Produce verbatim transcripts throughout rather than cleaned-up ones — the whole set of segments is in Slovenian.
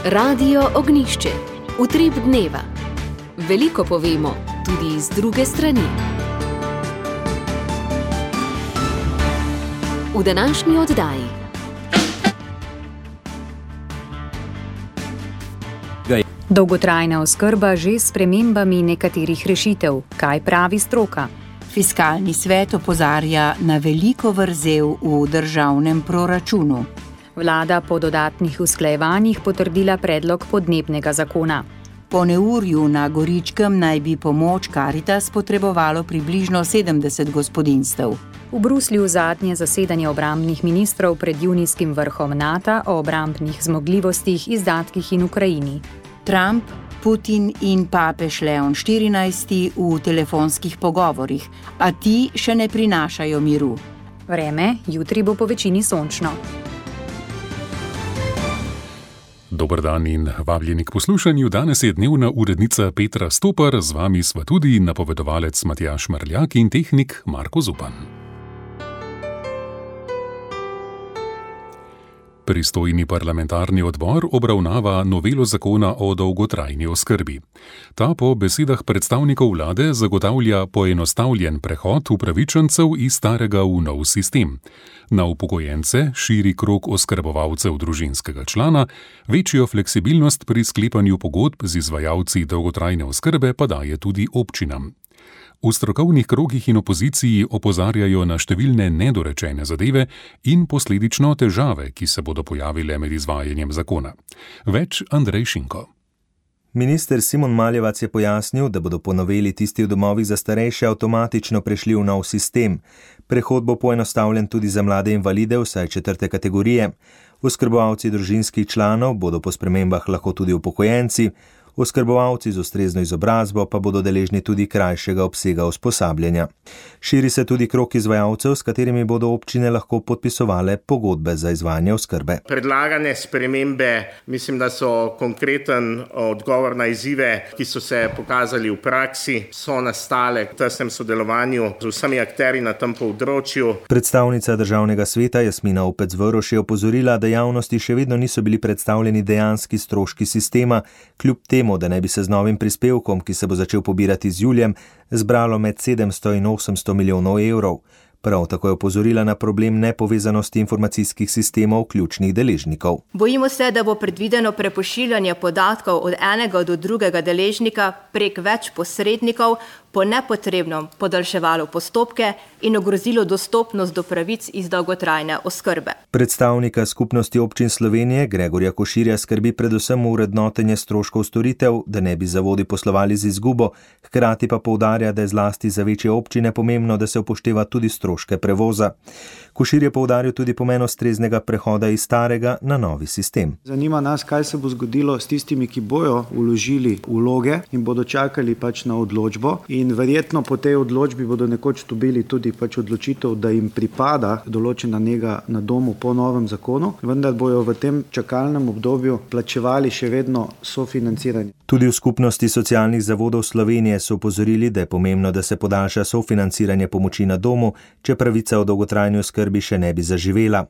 Radio Ognjišče. Utrip dneva. Veliko povemo, tudi iz druge strani. V današnji oddaji. Dolgotrajna oskrba že s spremembami nekaterih rešitev. Kaj pravi stroka? Fiskalni svet opozarja na veliko vrzel v državnem proračunu. Vlada po dodatnih usklajevanjih potrdila predlog podnebnega zakona. Po neurju na Goričkem naj bi pomoč Karitas potrebovalo približno sedemdeset gospodinjstev. V Bruslju zadnje zasedanje obrambnih ministrov pred junijskim vrhom Nata o obrambnih zmogljivostih, izdatkih in Ukrajini. Trump, Putin in papež Leon štirinajsti v telefonskih pogovorih, a ti še ne prinašajo miru. Vreme, jutri bo po večini sončno. Dober dan in vabljeni k poslušanju. Danes je dnevna urednica Petra Stopar, z vami sva tudi napovedovalec Matjaž Mrljak in tehnik Marko Zupan. Pristojni parlamentarni odbor obravnava novelo zakona o dolgotrajni oskrbi. Ta po besedah predstavnikov vlade zagotavlja poenostavljen prehod upravičencev iz starega v nov sistem. Na upokojence širi krog oskrbovalcev družinskega člana, večjo fleksibilnost pri sklepanju pogodb z izvajalci dolgotrajne oskrbe pa daje tudi občinam. V strokovnih krogih in opoziciji opozarjajo na številne nedorečene zadeve in posledično težave, ki se bodo pojavile med izvajanjem zakona. Več Andrej Šinko. Minister Simon Maljevac je pojasnil, da bodo po noveli tisti v domovih za starejše avtomatično prešli v nov sistem. Prehod bo poenostavljen tudi za mlade invalide vsaj četrte kategorije. Oskrbovalci družinskih članov bodo po spremembah lahko tudi upokojenci, oskrbovalci z ustrezno izobrazbo pa bodo deležni tudi krajšega obsega usposabljanja. Širi se tudi krog izvajalcev, s katerimi bodo občine lahko podpisovale pogodbe za izvajanje oskrbe. Predlagane spremembe mislim, da so konkreten odgovor na izzive, ki so se pokazali v praksi, so nastale v tesnem sodelovanju z vsemi akterji na tem področju. Predstavnica državnega sveta Jasmina Opec-Voroš je opozorila, da javnosti še vedno niso bili predstavljeni dejanski stroški sistema, kljub temu, da ne bi se z novim prispevkom, ki se bo začel pobirati z julijem, zbralo med sedemsto in osemsto milijonov evrov. Prav tako je opozorila na problem nepovezanosti informacijskih sistemov ključnih deležnikov. Bojimo se, da bo predvideno prepošiljanje podatkov od enega do drugega deležnika prek več posrednikov po nepotrebnem podaljševalo postopke in ogrozilo dostopnost do pravic iz dolgotrajne oskrbe. Predstavnika Skupnosti občin Slovenije Gregorja Koširja skrbi predvsem vrednotenje stroškov storitev, da ne bi zavodi poslovali z izgubo, hkrati pa poudarja, da je zlasti za večje občine pomembno, da se upošteva tudi stroške prevoza. Košir je poudaril tudi pomen ustreznega prehoda iz starega na novi sistem. Zanima nas, kaj se bo zgodilo s tistimi, ki bojo vložili vloge in bodo čakali pač na odločbo. In verjetno po tej odločbi bodo nekoč dobili tudi pač odločitev, da jim pripada določena nega na domu po novem zakonu, vendar bojo v tem čakalnem obdobju plačevali še vedno sofinanciranje. Tudi v Skupnosti socialnih zavodov Slovenije so opozorili, da je pomembno, da se podaljša sofinanciranje pomoči na domu, če pravica o dolgotrajni oskrbi še ne bi zaživela.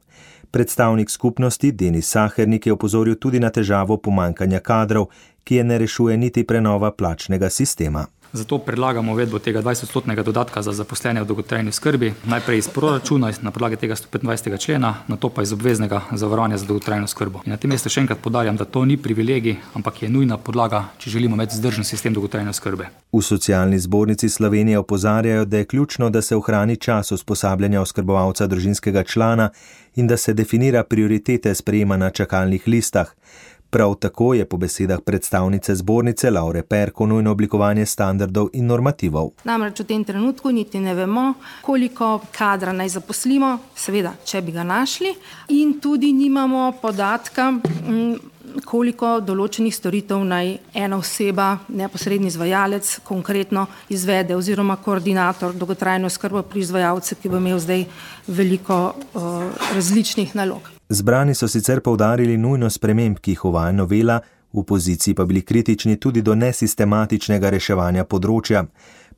Predstavnik skupnosti Denis Sahernik je opozoril tudi na težavo pomanjkanja kadrov, ki je ne rešuje niti prenova plačnega sistema. Zato predlagamo uvedbo tega dvajsetodstotnega dodatka za zaposlene v dolgotrajni oskrbi, najprej iz proračuna, na podlagi tega stopetindvajsetega člena, nato pa iz obveznega zavarovanja za dolgotrajno oskrbo. In na tem mestu še enkrat poudarjam, da to ni privilegij, ampak je nujna podlaga, če želimo imeti vzdržen sistem dolgotrajne oskrbe. V Socialni zbornici Slovenije opozarjajo, da je ključno, da se ohrani čas usposabljanja oskrbovalca družinskega člana in da se definira prioritete sprejema na čakalnih listah. Prav tako je po besedah predstavnice zbornice Laure Perko nujno oblikovanje standardov in normativov. Namreč v tem trenutku niti ne vemo, koliko kadra naj zaposlimo, seveda, če bi ga našli, in tudi nimamo podatka, koliko določenih storitev naj ena oseba, neposredni izvajalec, konkretno izvede oziroma koordinator dolgotrajne oskrbe pri izvajalcu, ki bo imel zdaj veliko uh, različnih nalog. Zbrani so sicer poudarili nujnost sprememb, ki jih uvaja novela, v opoziciji pa bili kritični tudi do nesistematičnega reševanja področja.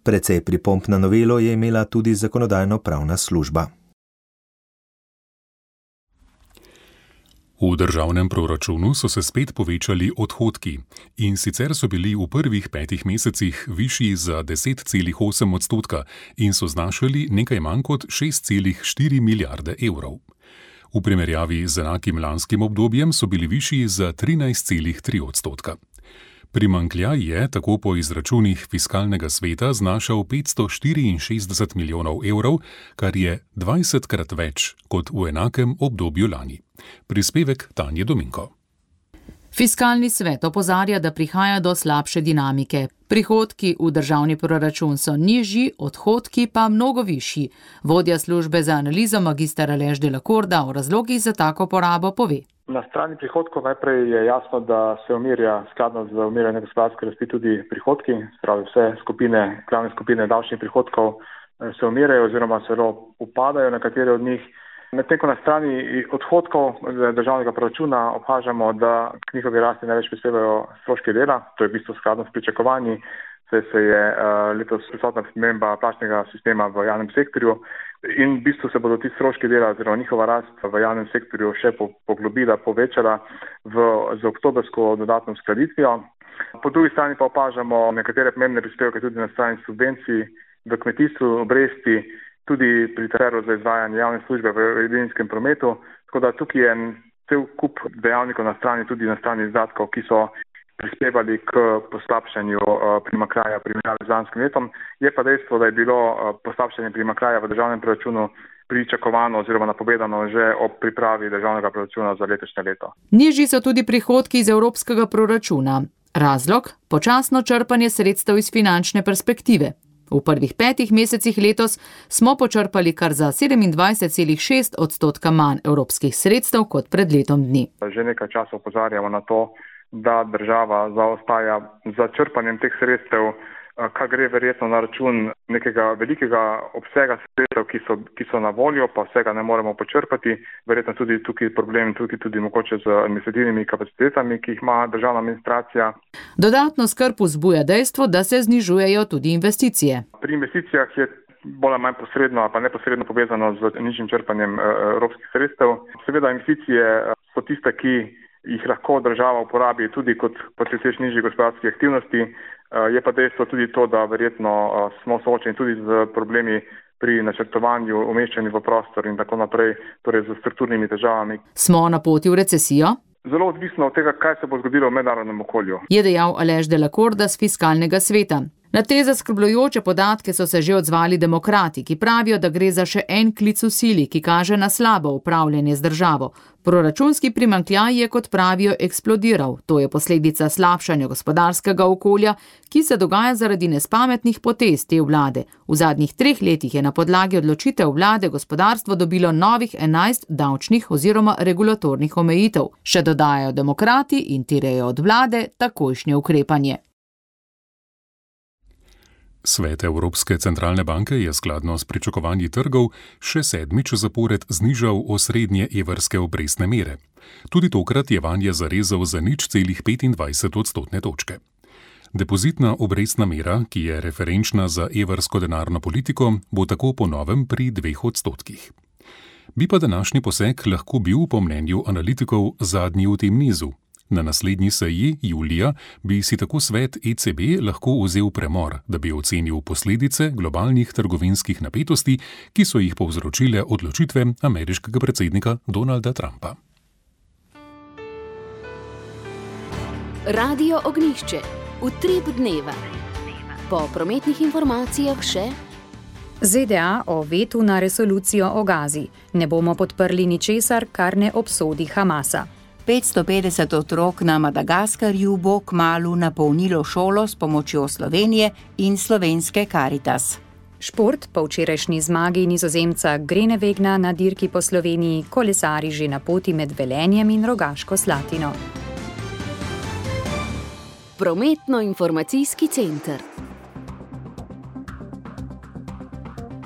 Precej pripomb na novelo je imela tudi zakonodajno-pravna služba. V državnem proračunu so se spet povečali odhodki, in sicer so bili v prvih petih mesecih višji za deset celih osem odstotka in so znašali nekaj manj kot šest celih štiri milijarde evrov. V primerjavi z enakim lanskim obdobjem so bili višji za trinajst celih tri odstotka. Primanjkljaj je, tako po izračunih Fiskalnega sveta, znašal petsto štiriinšestdeset milijonov evrov, kar je dvajsetkrat več kot v enakem obdobju lani. Prispevek Tanje Dominko. Fiskalni svet opozarja, da prihaja do slabše dinamike. Prihodki v državni proračun so nižji, odhodki pa mnogo višji. Vodja službe za analizo magister Aleš Delakorda o razlogih za tako porabo pove. Na strani prihodkov najprej je jasno, da se umirja skladno z umirjanjem gospodarske rasti tudi prihodki, spravi vse skupine, glavne skupine davčnih prihodkov se umirjajo oziroma celo upadajo nekatere od njih. Medtem ko na strani odhodkov državnega proračuna opažamo, da k njihovi rasti največ prispevajo stroški dela, to je v bistvu skladno s pričakovanji, saj se je letos prisotna sprememba plačnega sistema v javnem sektorju in v bistvu se bodo ti stroški dela oziroma njihova rast v javnem sektorju še poglobila, povečala v, z oktobrsko dodatno uskladitvijo. Po drugi strani pa opažamo nekatere pomembne prispevke tudi na strani subvencij v kmetijstvu, obresti, tudi pri transferu za izvajanje javne službe v edinskem prometu, tako da tukaj je cel kup dejavnikov na strani, tudi na strani izdatkov, ki so prispevali k poslabšanju primanjkljaja primerjavi z lanskim letom. Je pa dejstvo, da je bilo poslabšanje primanjkljaja v državnem proračunu pričakovano oziroma napovedano že ob pripravi državnega proračuna za letošnje leto. Nižji so tudi prihodki iz evropskega proračuna. Razlog? Počasno črpanje sredstev iz finančne perspektive. V prvih petih mesecih letos smo počrpali kar za sedemindvajset celih šest odstotka manj evropskih sredstev kot pred letom dni. Že nekaj časa opozarjamo na to, da država zaostaja za črpanjem teh sredstev, kar gre verjetno na račun nekega velikega obsega sredstev, ki so, ki so na voljo, pa vsega ne moremo počrpati. Verjetno tudi tukaj problem, tudi, tudi mogoče z administrativnimi kapacitetami, ki jih ima državna administracija. Dodatno skrb vzbuja dejstvo, da se znižujejo tudi investicije. Pri investicijah je bolj ali manj posredno ali pa neposredno povezano z nižjim črpanjem evropskih sredstev. Seveda investicije so tiste, ki jih lahko država uporabi tudi kot proces nižjih gospodarskih aktivnosti. Je pa dejstvo tudi to, da verjetno smo soočeni tudi z problemi pri načrtovanju, umeščanju v prostor in tako naprej, torej z strukturnimi težavami. Smo na poti v recesijo? Zelo odvisno od tega, kaj se bo zgodilo v mednarodnem okolju. Je dejal Aleš Delakorda z Fiskalnega sveta. Na te zaskrbljujoče podatke so se že odzvali demokrati, ki pravijo, da gre za še en klic v sili, ki kaže na slabo upravljanje z državo. Proračunski primanjkljaj je, kot pravijo, eksplodiral. To je posledica slabšanja gospodarskega okolja, ki se dogaja zaradi nespametnih potez te vlade. V zadnjih treh letih je na podlagi odločitev vlade gospodarstvo dobilo novih enajst davčnih oziroma regulatornih omejitev. Še dodajajo demokrati in terjajo od vlade takojšnje ukrepanje. Svet Evropske centralne banke je skladno s pričakovanji trgov še sedmič zapored znižal osrednje evrske obrestne mere. Tudi tokrat je vanje zarezal za nič celih petindvajset odstotne točke. Depozitna obrestna mera, ki je referenčna za evrsko denarno politiko, bo tako po novem pri dveh odstotkih. Bi pa današnji poseg lahko bil po mnenju analitikov zadnji v tem nizu. Na naslednji seji, julija, bi si tako svet E C B lahko vzel premor, da bi ocenil posledice globalnih trgovinskih napetosti, ki so jih povzročile odločitve ameriškega predsednika Donalda Trumpa. Radio Ognjišče. Utrip dneva. Po prometnih informacijah še Z D A o vetu na resolucijo o Gazi. Ne bomo podprli ničesar, kar ne obsodi Hamasa. petsto petdeset otrok na Madagaskarju bo kmalu napolnilo šolo s pomočjo Slovenije in slovenske Karitas. Šport po včerajšnji zmagi Nizozemca Grenewegna na dirki po Sloveniji kolesari že na poti med Velenjem in Rogaško Slatino. Prometno-informacijski center.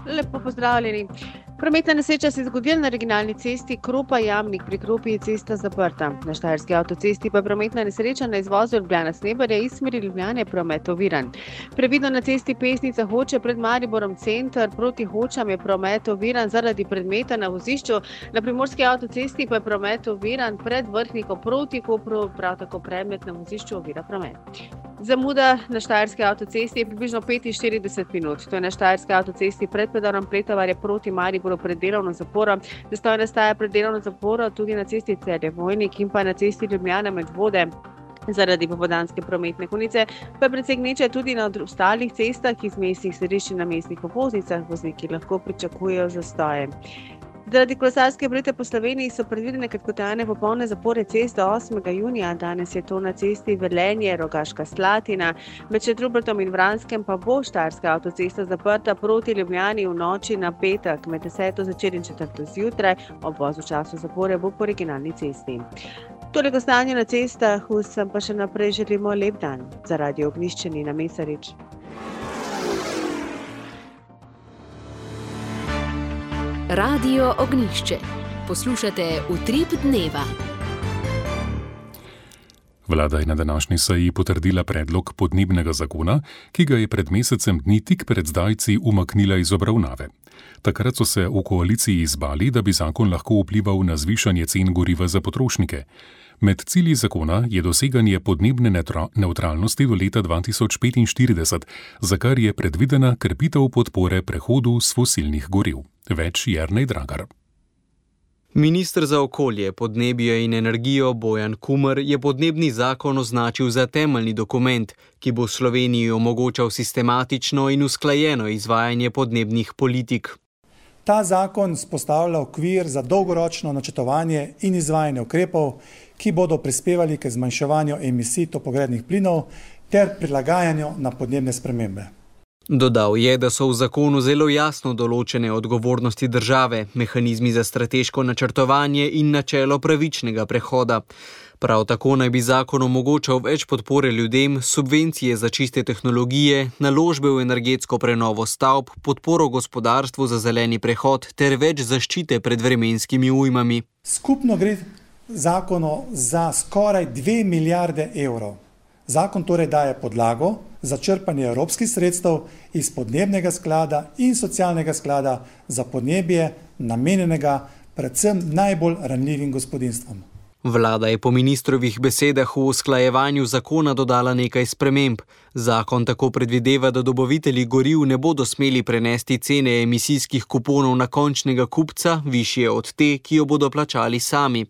Lepo pozdravljeni. Prometna nesreča se je zgodila na regionalni cesti Kropa-Jamnik, pri Kropi je cesta zaprta. Na Štajerski avtocesti pa je prometna nesreča na izvozu Ljubljana-Sneberje iz smeri Ljubljane promet oviran. Previdno na cesti Pesnica Hoče pred Mariborom center, proti Hočam je promet oviran zaradi predmeta na vozišču. Na Primorski avtocesti pa je promet oviran pred Vrhnikom proti Kopru, prav tako predmet na vozišču ovira promet. Zamuda na Štajerski avtocesti je približno petinštirideset minut. To je na Štajerski avtocesti pred predorom Pletovarje proti Mariboru pred delovno zaporo. Zastoj nastaja pred delovno zaporo tudi na cesti Celje-Vojnik in pa na cesti Ljubljana-Medvode. Zaradi popoldanske prometne konice pa je precej gneče tudi na ostalih cestah iz mestnih središč in na mestnih obvoznicah. Vozniki lahko pričakujejo zastoje. Zaradi kolesarske prometne po Sloveniji so predvidene kratkotrajne popolne zapore cest do osmega junija. Danes je to na cesti Velenje, Rogaška Slatina. Med Šentrupertom in Vranskem pa bo Štajerska avtocesta zaprta proti Ljubljani v noči na petek med deseto zvečer in četrto zjutraj. Obvoz v času zapore bo po regionalni cesti. Toliko stanje na cestah, vsem pa še naprej želimo lep dan. Za Radio Ognjišče Nina Mesarič. Radio Ognjišče. Poslušate Utrip dneva. Vlada je na današnji seji potrdila predlog podnebnega zakona, ki ga je pred mesecem dni tik pred zdajci umaknila iz obravnave. Takrat so se v koaliciji izbali, da bi zakon lahko vplival na zvišanje cen goriva za potrošnike. Med cilji zakona je doseganje podnebne nevtralnosti do leta dva tisoč petinštirideset, za kar je predvidena krepitev podpore prehodu s fosilnih goriv. Več Jernej Dragar. Minister za okolje, podnebje in energijo Bojan Kumer je podnebni zakon označil za temeljni dokument, ki bo Sloveniji omogočal sistematično in usklajeno izvajanje podnebnih politik. Ta zakon vzpostavlja okvir za dolgoročno načrtovanje in izvajanje ukrepov, ki bodo prispevali k zmanjševanju emisij toplogrednih plinov ter prilagajanju na podnebne spremembe. Dodal je, da so v zakonu zelo jasno določene odgovornosti države, mehanizmi za strateško načrtovanje in načelo pravičnega prehoda. Prav tako naj bi zakon omogočal več podpore ljudem, subvencije za čiste tehnologije, naložbe v energetsko prenovo stavb, podporo gospodarstvu za zeleni prehod ter več zaščite pred vremenskimi ujmami. Skupno gre zakonu za skoraj dve milijarde evrov. Zakon torej daje podlago za črpanje evropskih sredstev iz podnebnega sklada in socialnega sklada za podnebje, namenjenega predvsem najbolj ranljivim gospodinjstvom. Vlada je po ministrovih besedah v usklajevanju zakona dodala nekaj sprememb. Zakon tako predvideva, da dobavitelji goriv ne bodo smeli prenesti cene emisijskih kuponov na končnega kupca, višje od te, ki jo bodo plačali sami.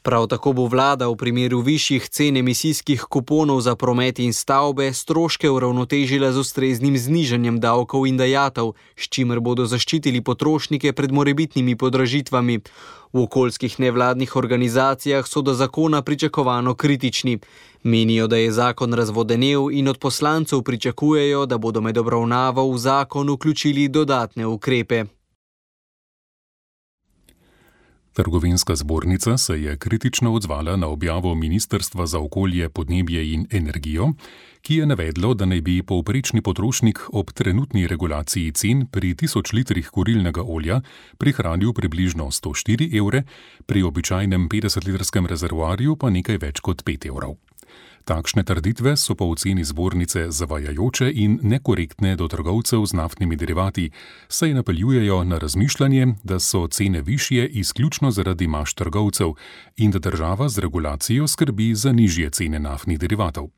Prav tako bo vlada v primeru višjih cen emisijskih kuponov za promet in stavbe stroške uravnotežila z ustreznim znižanjem davkov in dajatev, s čimer bodo zaščitili potrošnike pred morebitnimi podražitvami. V okoljskih nevladnih organizacijah so do zakona pričakovano kritični. Menijo, da je zakon razvodenel in od poslancev pričakujejo, da bodo med obravnavo v zakon vključili dodatne ukrepe. Trgovinska zbornica se je kritično odzvala na objavo Ministrstva za okolje, podnebje in energijo, ki je navedlo, da naj bi povprečni potrošnik ob trenutni regulaciji cen pri tisoč litrih kurilnega olja prihranil približno sto štiri evre, pri običajnem petdesetlitrskem rezervoarju pa nekaj več kot pet evrov. Takšne trditve so po oceni zbornice zavajajoče in nekorektne do trgovcev z naftnimi derivati, saj napeljujejo na razmišljanje, da so cene višje izključno zaradi maž trgovcev in da država z regulacijo skrbi za nižje cene naftnih derivatov.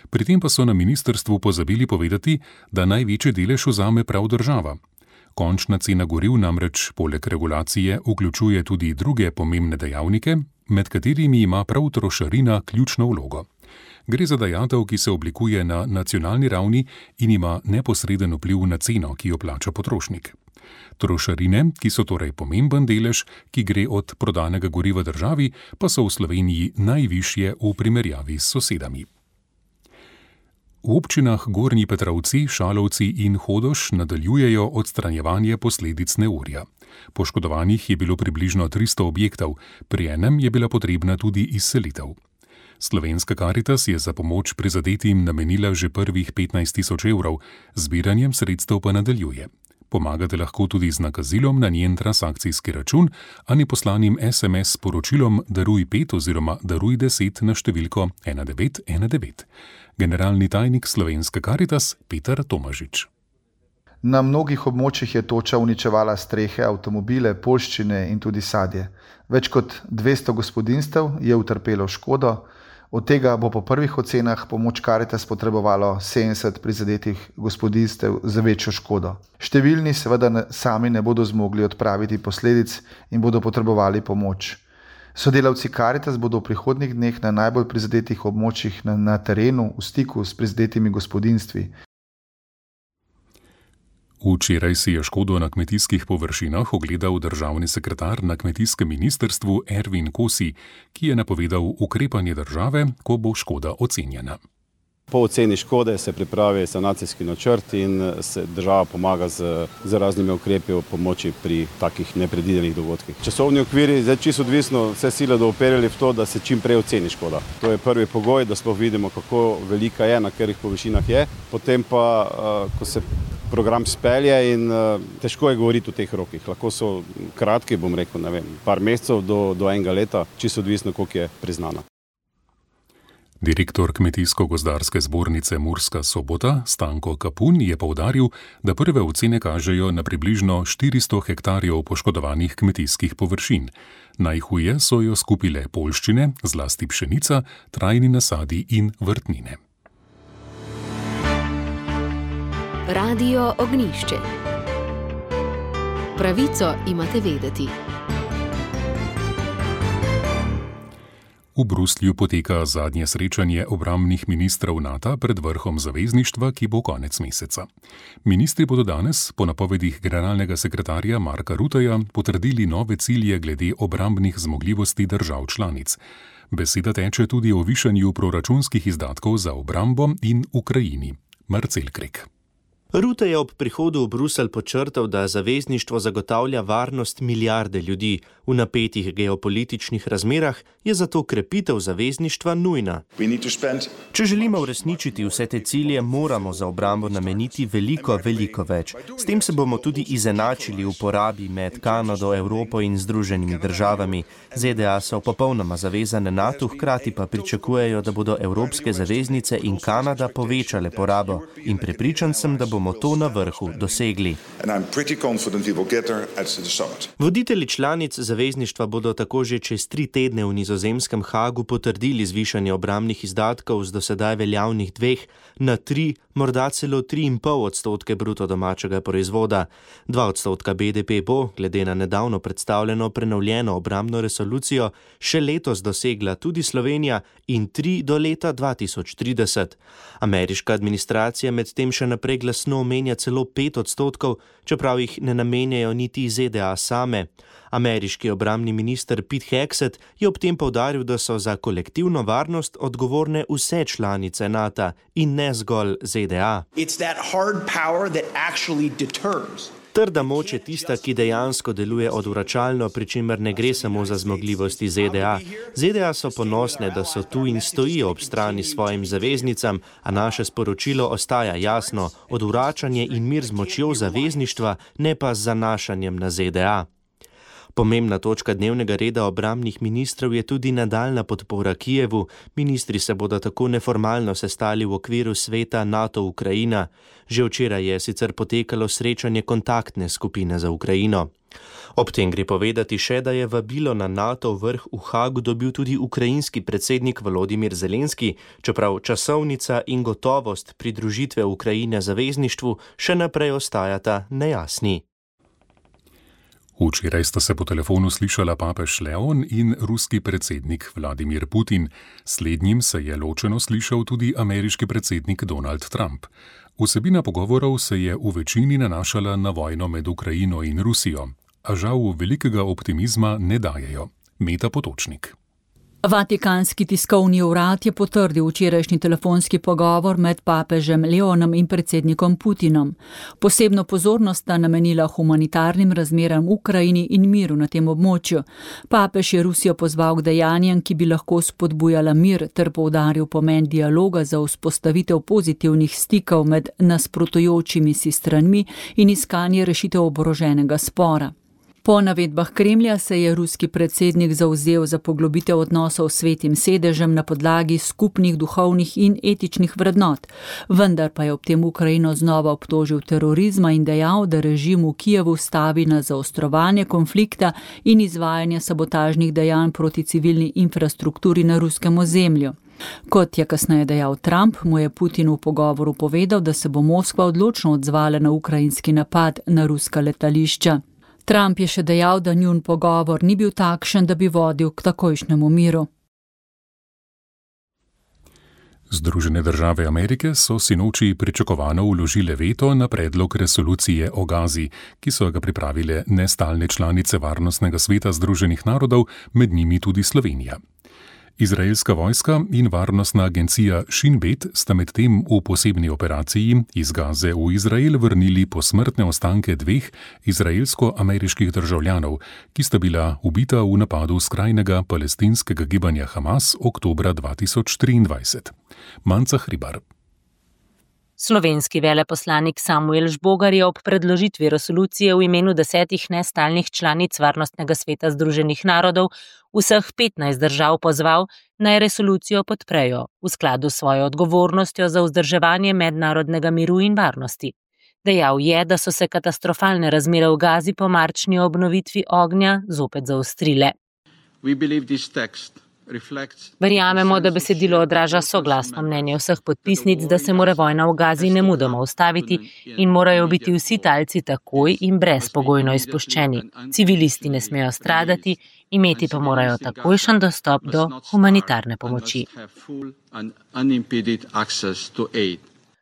Pri tem pa so na ministrstvu pozabili povedati, da največji delež vzame prav država. Končna cena goriv namreč poleg regulacije vključuje tudi druge pomembne dejavnike, med katerimi ima prav trošarina ključno vlogo. Gre za dajatev, ki se oblikuje na nacionalni ravni in ima neposreden vpliv na ceno, ki jo plača potrošnik. Trošarine, ki so torej pomemben delež, ki gre od prodanega goriva državi, pa so v Sloveniji najvišje v primerjavi s sosedami. V občinah Gornji Petrovci, Šalovci in Hodoš nadaljujejo odstranjevanje posledic neurja. Poškodovanih je bilo približno tristo objektov, pri enem je bila potrebna tudi izselitev. Slovenska Karitas je za pomoč prizadetim namenila že prvih petnajst tisoč evrov, zbiranjem sredstev pa nadaljuje. Pomagate lahko tudi z nakazilom na njen transakcijski račun ali poslanim es em es sporočilom Daruj pet oziroma Daruj deset na številko ena devet ena devet. Generalni tajnik Slovenske Karitas Peter Tomažič. Na mnogih območjih je toča uničevala strehe, avtomobile, poljščine in tudi sadje. Več kot dvesto gospodinjstev je utrpelo škodo, od tega bo po prvih ocenah pomoč Karitas potrebovalo sedemdeset prizadetih gospodinjstev za večjo škodo. Številni seveda sami ne bodo zmogli odpraviti posledic in bodo potrebovali pomoč. Sodelavci Karitas bodo v prihodnjih dneh na najbolj prizadetih območjih na, na terenu v stiku s prizadetimi gospodinjstvi. Včeraj si je škodo na kmetijskih površinah ogledal državni sekretar na kmetijskem ministrstvu Ervin Kosi, ki je napovedal ukrepanje države, ko bo škoda ocenjena. Po oceni škode se pripravi sanacijski načrt in se država pomaga z, z raznimi ukrepi o pomoči pri takih nepredvidenih dogodkih. Časovni okviri, zdaj čisto odvisno, vse sile do operili v to, da se čim prej oceni škoda. To je prvi pogoj, da sploh vidimo, kako velika je, na katerih površinah je. Potem pa, ko se program spelje in težko je govoriti o teh rokih. Lahko so kratki, bom rekel, ne vem, par mesecev do, do enega leta, čisto odvisno, koliko je priznana. Direktor Kmetijsko-gozdarske zbornice Murska Sobota Stanko Kapun je poudaril, da prve ocene kažejo na približno štiristo hektarjev poškodovanih kmetijskih površin. Najhuje so jo skupile poljščine, zlasti pšenica, trajni nasadi in vrtnine. Radio Ognjišče. Pravico imate vedeti. V Bruslju poteka zadnje srečanje obrambnih ministrov NATO pred vrhom zavezništva, ki bo konec meseca. Ministri bodo danes, po napovedih generalnega sekretarja Marka Rutteja, potrdili nove cilje glede obrambnih zmogljivosti držav članic. Beseda teče tudi o višanju proračunskih izdatkov za obrambo in Ukrajini. Marcel Krek. Rutte je ob prihodu v Bruselj podčrtal, da zavezništvo zagotavlja varnost milijarde ljudi. V napetih geopolitičnih razmerah je zato krepitev zavezništva nujna. Če želimo uresničiti vse te cilje, moramo za obrambo nameniti veliko, veliko več. S tem se bomo tudi izenačili v porabi med Kanado, Evropo in Združenimi državami. ZDA so popolnoma zavezane NATO, hkrati pa pričakujejo, da bodo evropske zaveznice in Kanada povečale porabo. In prepričan sem, da bomo to na vrhu dosegli. Voditelji članic zavezništva bodo tako že čez tri tedne v nizozemskem Hagu potrdili zvišanje obrambnih izdatkov z dosedaj veljavnih dveh na tri, morda celo tri in pol odstotke bruto domačega proizvoda. Dva odstotka B D P bo, glede na nedavno predstavljeno prenovljeno obrambno resolucijo, še letos dosegla tudi Slovenija in tri do leta dva tisoč trideset. Ameriška administracija medtem še naprej glasno omenja celo pet odstotkov, čeprav jih ne namenjajo niti Z D A same. Ameriški obrambni minister Pete Hegseth je ob tem poudaril, da so za kolektivno varnost odgovorne vse članice NATO in ne zgolj Z D A. Trda moč je tista, ki dejansko deluje odvračalno, pri čemer ne gre samo za zmogljivosti Z D A. Z D A so ponosne, da so tu in stojijo ob strani svojim zaveznicam, a naše sporočilo ostaja jasno: odvračanje in mir z močjo zavezništva, ne pa z zanašanjem na Z D A. Pomembna točka dnevnega reda obrambnih ministrov je tudi nadaljna podpora Kijevu. Ministri se bodo tako neformalno sestali v okviru sveta NATO-Ukrajina. Že včeraj je sicer potekalo srečanje kontaktne skupine za Ukrajino. Ob tem gre povedati še, da je vabilo na NATO vrh v Hagu dobil tudi ukrajinski predsednik Volodimir Zelenski, čeprav časovnica in gotovost pridružitve Ukrajine zavezništvu še naprej ostajata nejasni. Včeraj sta se po telefonu slišala papež Leon in ruski predsednik Vladimir Putin. Slednjim se je ločeno slišal tudi ameriški predsednik Donald Trump. Vsebina pogovorov se je v večini nanašala na vojno med Ukrajino in Rusijo, a žal velikega optimizma ne dajejo. Meta Potočnik. Vatikanski tiskovni urad je potrdil včerajšnji telefonski pogovor med papežem Leonom in predsednikom Putinom. Posebno pozornost sta namenila humanitarnim razmeram v Ukrajini in miru na tem območju. Papež je Rusijo pozval k dejanjem, ki bi lahko spodbujala mir, ter poudaril pomen dialoga za vzpostavitev pozitivnih stikov med nasprotujočimi si stranmi in iskanje rešitev oboroženega spora. Po navedbah Kremlja se je ruski predsednik zavzel za poglobitev odnosov s Svetim sedežem na podlagi skupnih duhovnih in etičnih vrednot, vendar pa je ob tem Ukrajino znova obtožil terorizma in dejal, da režim v Kijevu stavi na zaostrovanje konflikta in izvajanje sabotažnih dejanj proti civilni infrastrukturi na ruskem ozemlju. Kot je kasneje dejal Trump, mu je Putin v pogovoru povedal, da se bo Moskva odločno odzvala na ukrajinski napad na ruska letališča. Trump je še dejal, da njun pogovor ni bil takšen, da bi vodil k takojšnjemu miru. Združene države Amerike so sinoči pričakovano vložile veto na predlog resolucije o Gazi, ki so ga pripravile nestalne članice Varnostnega sveta Združenih narodov, med njimi tudi Slovenija. Izraelska vojska in varnostna agencija Shin Bet sta medtem v posebni operaciji iz Gaze v Izrael vrnili posmrtne ostanke dveh izraelsko-ameriških državljanov, ki sta bila ubita v napadu skrajnega palestinskega gibanja Hamas oktobra dva tisoč triindvajset. Manca Hribar. Slovenski veleposlanik Samuel Žbogar je ob predložitvi resolucije v imenu desetih nestalnih članic Varnostnega sveta Združenih narodov vseh petnajst držav pozval, naj resolucijo podprejo v skladu s svojo odgovornostjo za vzdrževanje mednarodnega miru in varnosti. Dejal je, da so se katastrofalne razmere v Gazi po marčni obnovitvi ognja zopet zaostrile. Verjamemo, da besedilo odraža soglasno mnenje vseh podpisnic, da se mora vojna v Gazi nemudoma ustaviti in morajo biti vsi talci takoj in brezpogojno izpuščeni. Civilisti ne smejo stradati, imeti pa morajo takojšen dostop do humanitarne pomoči.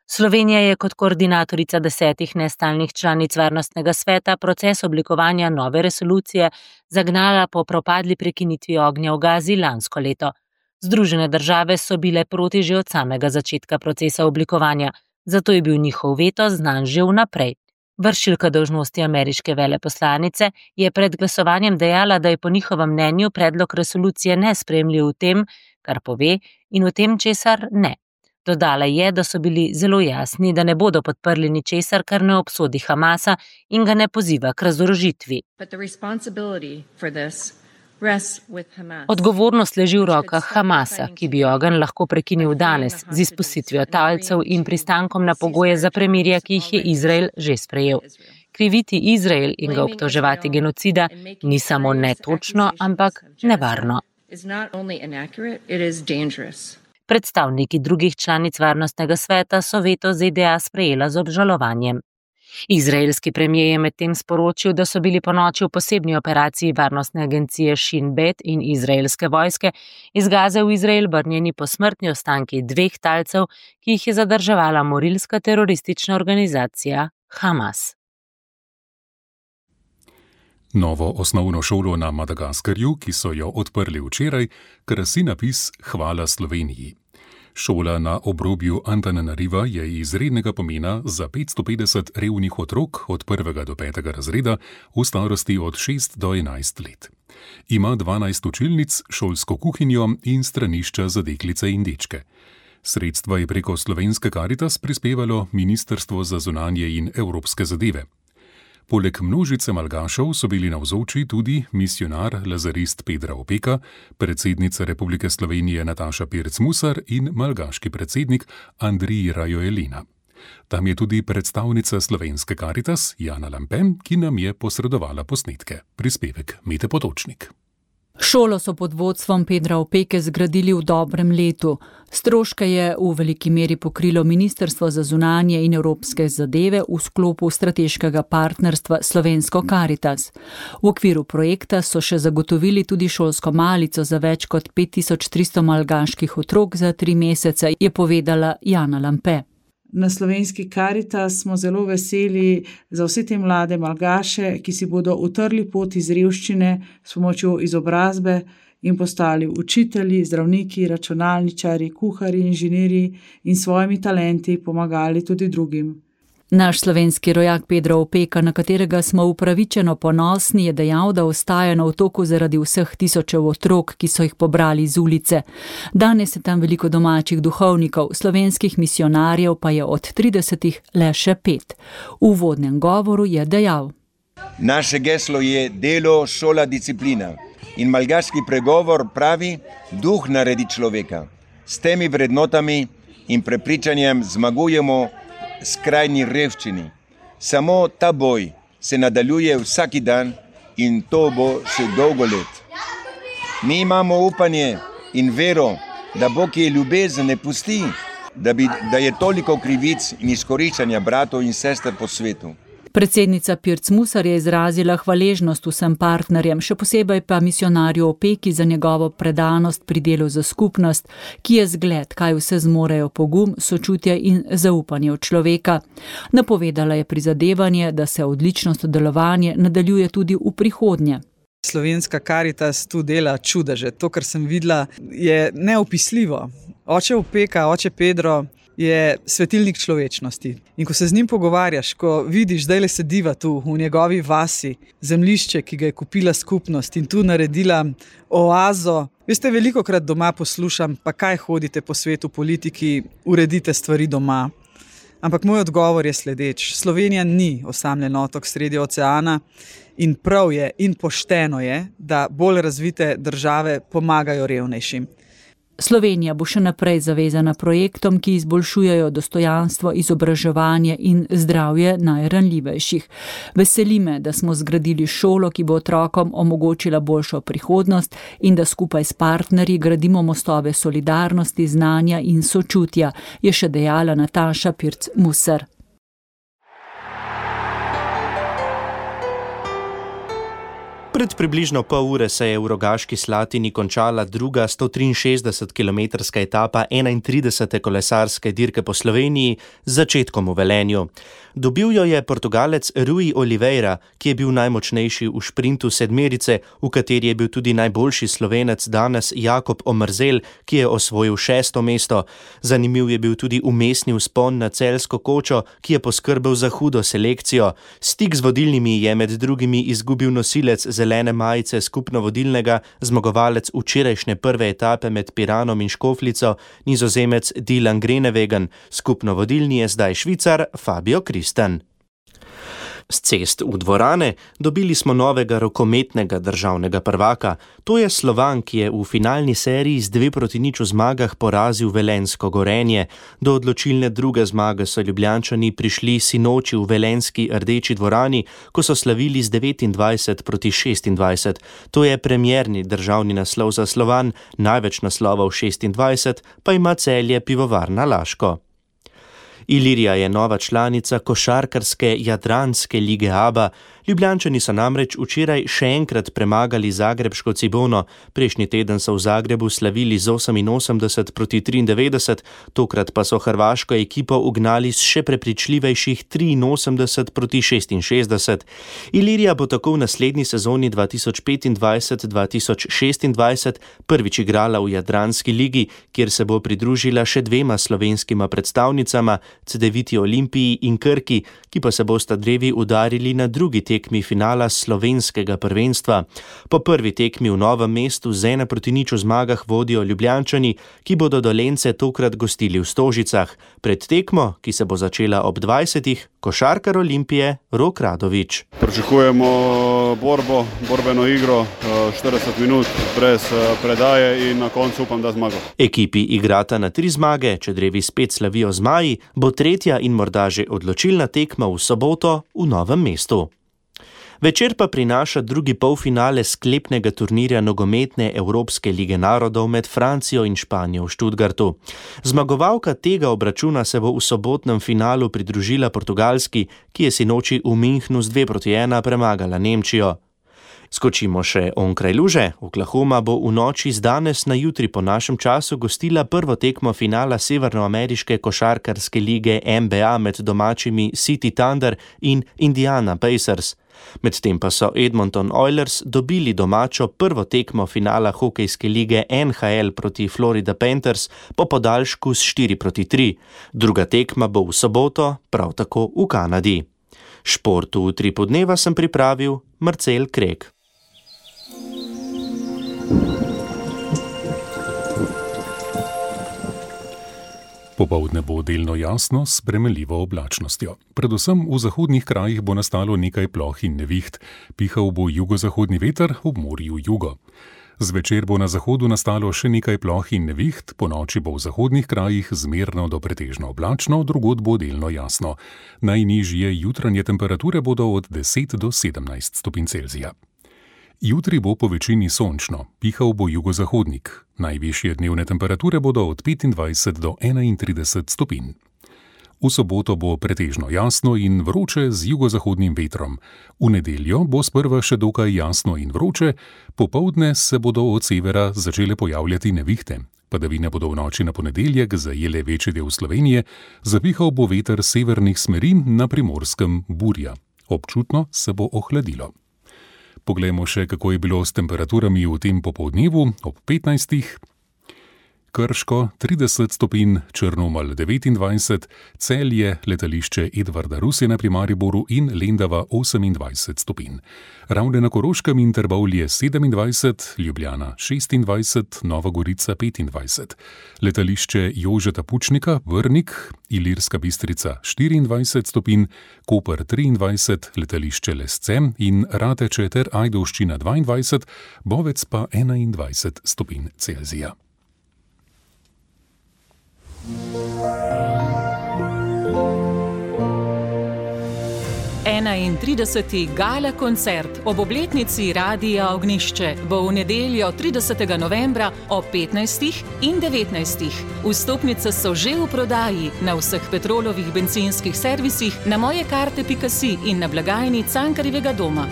Slovenija je kot koordinatorica desetih nestalnih članic Varnostnega sveta proces oblikovanja nove resolucije zagnala po propadli prekinitvi ognja v Gazi lansko leto. Združene države so bile proti že od samega začetka procesa oblikovanja, zato je bil njihov veto znan že vnaprej. Vršilka dolžnosti ameriške veleposlanice je pred glasovanjem dejala, da je po njihovem mnenju predlog resolucije nesprejemljiv v tem, kar pove, in v tem, česar ne. Dodala je, da so bili zelo jasni, da ne bodo podprli ničesar, kar ne obsodi Hamasa in ga ne poziva k razorožitvi. Odgovornost leži v rokah Hamasa, ki bi ogenj lahko prekinil danes z izpustitvijo talcev in pristankom na pogoje za premirje, ki jih je Izrael že sprejel. Kriviti Izrael in ga obtoževati genocida ni samo netočno, ampak nevarno. Predstavniki drugih članic Varnostnega sveta so veto Z D A sprejela z obžalovanjem. Izraelski premijer je medtem sporočil, da so bili ponoči v posebni operaciji Varnostne agencije Shin Bet in izraelske vojske iz Gaze v Izrael vrnjeni posmrtni ostanki dveh talcev, ki jih je zadrževala morilska teroristična organizacija Hamas. Novo osnovno šolo na Madagaskarju, ki so jo odprli včeraj, krasi napis Hvala Sloveniji. Šola na obrobju Antananariva je izrednega pomena za petsto petdeset revnih otrok od prvega do petega razreda v starosti od šest do enajst let. Ima dvanajst učilnic, šolsko kuhinjo in stranišča za deklice in dečke. Sredstva je preko Slovenske Karitas prispevalo Ministrstvo za zunanje in evropske zadeve. Poleg množice malgašev so bili navzoči tudi misijonar lazarist Pedra Opeka, predsednica Republike Slovenije Nataša Pirc-Musar in malgaški predsednik Andrij Rajoelina. Tam je tudi predstavnica Slovenske Karitas Jana Lampe, ki nam je posredovala posnetke. Prispevek Mete Potočnik. Šolo so pod vodstvom Pedra Opeke zgradili v dobrem letu. Stroške je v veliki meri pokrilo Ministrstvo za zunanje in evropske zadeve v sklopu strateškega partnerstva Slovensko Karitas. V okviru projekta so še zagotovili tudi šolsko malico za več kot pet tisoč tristo malgaških otrok za tri mesece, je povedala Jana Lampe. Na slovenski Karitas smo zelo veseli za vse te mlade malgaše, ki si bodo utrli pot iz revščine s pomočjo izobrazbe in postali učitelji, zdravniki, računalničari, kuharji, inženirji in svojimi talenti pomagali tudi drugim. Naš slovenski rojak Pedro Opeka, na katerega smo upravičeno ponosni, je dejal, da ostaja na otoku zaradi vseh tisočev otrok, ki so jih pobrali iz ulice. Danes je tam veliko domačih duhovnikov, slovenskih misionarjev pa je od tridesetih le še pet. V uvodnem govoru je dejal: Naše geslo je delo, šola, disciplina. In malgaški pregovor pravi, duh naredi človeka. S temi vrednotami in prepričanjem zmagujemo skrajni revščini. Samo ta boj se nadaljuje vsaki dan in to bo še dolgo let. Mi imamo upanje in vero, da Bog je ljubezen ne pusti, da, bi, da je toliko krivic in izkoriščanja bratov in sester po svetu. Predsednica Pirc Musar je izrazila hvaležnost vsem partnerjem, še posebej pa misionarju Opeki za njegovo predanost pri delu za skupnost, ki je zgled, kaj vse zmorejo pogum, sočutje in zaupanje v človeka. Napovedala je prizadevanje, da se odlično sodelovanje nadaljuje tudi v prihodnje. Slovenska Karitas tu dela čudeže. To, kar sem videla, je neopisljivo. Oče Opeka, oče Pedro je svetilnik človečnosti. In ko se z njim pogovarjaš, ko vidiš, da le sediva tu v njegovi vasi, zemljišče, ki ga je kupila skupnost in tu naredila oazo. Veste, velikokrat doma poslušam, pa kaj hodite po svetu politiki, uredite stvari doma. Ampak moj odgovor je sledeč. Slovenija ni osamljen otok sredi oceana in prav je in pošteno je, da bolj razvite države pomagajo revnejšim. Slovenija bo še naprej zavezana projektom, ki izboljšujejo dostojanstvo, izobraževanje in zdravje najranljivejših. Veseli me, da smo zgradili šolo, ki bo otrokom omogočila boljšo prihodnost in da skupaj s partnerji gradimo mostove solidarnosti, znanja in sočutja, je še dejala Nataša Pirc Musar. Pred približno pol ure se je v Rogaški Slatini končala druga sto triinšestdesetkilometrska etapa enaintridesete kolesarske dirke po Sloveniji z začetkom v Velenju. Dobil jo je Portugalec Rui Oliveira, ki je bil najmočnejši v šprintu sedmerice, v kateri je bil tudi najboljši Slovenec danes Jakob Omerzel, ki je osvojil šesto mesto. Zanimiv je bil tudi umestni vzpon na Celjsko kočo, ki je poskrbel za hudo selekcijo. Stik z vodilnimi je med drugimi izgubil nosilec zelene majice skupno vodilnega, zmagovalec včerajšnje prve etape med Piranom in Škofljico, Nizozemec Dylan Groenewegen. Skupno vodilni je zdaj Švicar Fabio Kristen. S cest v dvorane dobili smo novega rokometnega državnega prvaka. To je Slovan, ki je v finalni seriji z dve proti nič v zmagah porazil velenjsko Gorenje. Do odločilne druge zmage so Ljubljančani prišli sinoči v velenjski Rdeči dvorani, ko so slavili z devetindvajset proti šestindvajset. To je premierni državni naslov za Slovan, največ naslovov šestindvajset pa ima Celje Pivovarna Laško. Ilirija je nova članica košarkarske Jadranske lige A B A. Ljubljančani so namreč včeraj še enkrat premagali zagrebško Cibono. Prejšnji teden so v Zagrebu slavili z oseminosemdeset proti triindevetdeset, tokrat pa so hrvaško ekipo ugnali s še prepričljivejših triinosemdeset proti šestinšestdeset. Ilirija bo tako v naslednji sezoni dva tisoč petindvajset dva tisoč šestindvajset prvič igrala v Jadranski ligi, kjer se bo pridružila še dvema slovenskima predstavnicama, Cedeviti Olimpiji in Krki, ki pa se bosta drevi udarili na drugi tekmi finala slovenskega prvenstva. Po prvi tekmi v Novem mestu z ena proti nič v zmagah vodijo Ljubljančani, ki bodo Dolenjce tokrat gostili v Stožicah. Pred tekmo, ki se bo začela ob dvajsetih, košarkar Olimpije Rok Radović. Pričakujemo borbo, borbeno igro, štirideset minut brez predaje in na koncu upam, da zmago. Ekipi igrata na tri zmage, če drevi spet slavijo zmaji, bo tretja in morda že odločilna tekma v soboto v Novem mestu. Večer pa prinaša drugi polfinale sklepnega turnirja nogometne Evropske lige narodov med Francijo in Španijo v Stuttgartu. Zmagovalka tega obračuna se bo v sobotnem finalu pridružila Portugalski, ki je sinoči v Münchnu z dve proti ena premagala Nemčijo. Skočimo še onkraj luže. Oklahoma bo v noči z danes na jutri po našem času gostila prvo tekmo finala severnoameriške košarkarske lige N B A med domačimi City Thunder in Indiana Pacers. Medtem pa so Edmonton Oilers dobili domačo prvo tekmo finala hokejske lige N H L proti Florida Panthers po podaljšku s štiri proti tri. Druga tekma bo v soboto, prav tako v Kanadi. Šport v utripu dneva sem pripravil Marcel Krek. Popoldne bo delno jasno s spremenljivo oblačnostjo. Predvsem v zahodnih krajih bo nastalo nekaj ploh in neviht, pihal bo jugozahodni veter, ob morju jugo. Zvečer bo na zahodu nastalo še nekaj ploh in neviht, ponoči bo v zahodnih krajih zmerno do pretežno oblačno, drugod bo delno jasno. Najnižje jutranje temperature bodo od deset do sedemnajst stopinj Celzija. Jutri bo po večini sončno, pihal bo jugozahodnik. Najvišje dnevne temperature bodo od petindvajset do enaintrideset stopinj. V soboto bo pretežno jasno in vroče z jugozahodnim vetrom. V nedeljo bo sprva še dokaj jasno in vroče, popoldne se bodo od severa začele pojavljati nevihte. Padavine bodo v noči na ponedeljek zajele večji del Slovenije, zapihal bo veter severnih smeri, na Primorskem burja. Občutno se bo ohladilo. Poglejmo še, kako je bilo s temperaturami v tem popoldnevu ob petnajstih. Krško trideset stopinj, Črnomelj devetindvajset, Celje, letališče Edvarda Rusjana pri Mariboru in Lendava osemindvajset stopinj. Ravne na Koroškem in Trbovlje sedemindvajset, Ljubljana šestindvajset, Nova Gorica petindvajset. Letališče Jožeta Pučnika, Vrnik, Ilirska Bistrica štiriindvajset stopinj, Koper triindvajset, letališče Lesce in Rateče ter Ajdovščina dvaindvajset, Bovec pa enaindvajset stopinj Celzija. enaintrideseti gala koncert ob obletnici Radia Ognjišče bo v nedeljo tridesetega novembra ob petnajstih in devetnajstih. Vstopnice so že v prodaji na vseh Petrolovih bencinskih servisih, na mojekarte pika si in na blagajni Cankarjevega doma.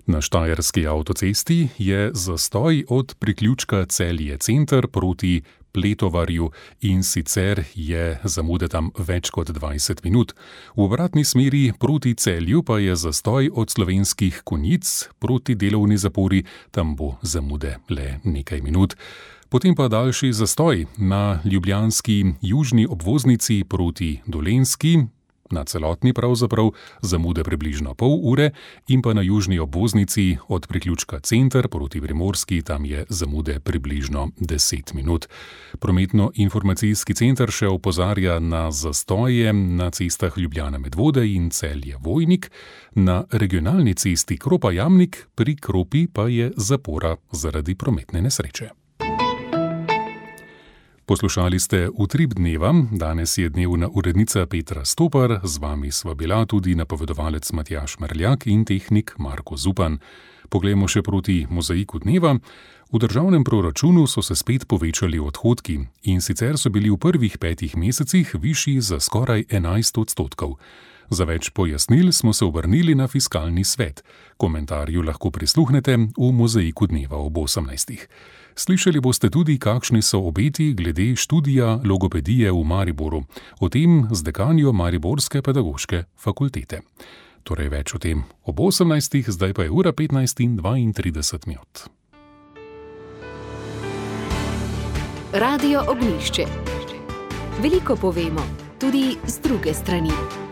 Na štajerski avtocesti je zastoj od priključka Celje center proti Pletovarju in sicer je zamude tam več kot dvajset minut. V obratni smeri proti Celju pa je zastoj od Slovenskih Konjic proti delovni zapori, tam bo zamude le nekaj minut. Potem pa daljši zastoj na ljubljanski južni obvoznici proti Dolenjski, na celotni pravzaprav zamude približno pol ure in pa na južni obvoznici od priključka Center proti Primorski, tam je zamude približno deset minut. Prometno-informacijski center še opozarja na zastoje na cestah Ljubljana Medvode in Celje Vojnik, na regionalni cesti Kropa Jamnik, pri Kropi pa je zapora zaradi prometne nesreče. Poslušali ste Utrip dneva, danes je dnevna urednica Petra Stopar, z vami sva bila tudi napovedovalec Matjaž Merljak in tehnik Marko Zupan. Poglejmo še proti mozaiku dneva. V državnem proračunu so se spet povečali odhodki in sicer so bili v prvih petih mesecih višji za skoraj enajst odstotkov. Za več pojasnil smo se obrnili na Fiskalni svet. Komentarju lahko prisluhnete v mozaiku dneva ob osemnajstih. Slišali boste tudi, kakšni so obeti glede študija logopedije v Mariboru, o tem z dekanjo Mariborske pedagoške fakultete. Torej več o tem ob osemnajstih, zdaj pa je ura petnajst in dvaintrideset minut. Radio Ognjišče. Veliko povemo, tudi z druge strani.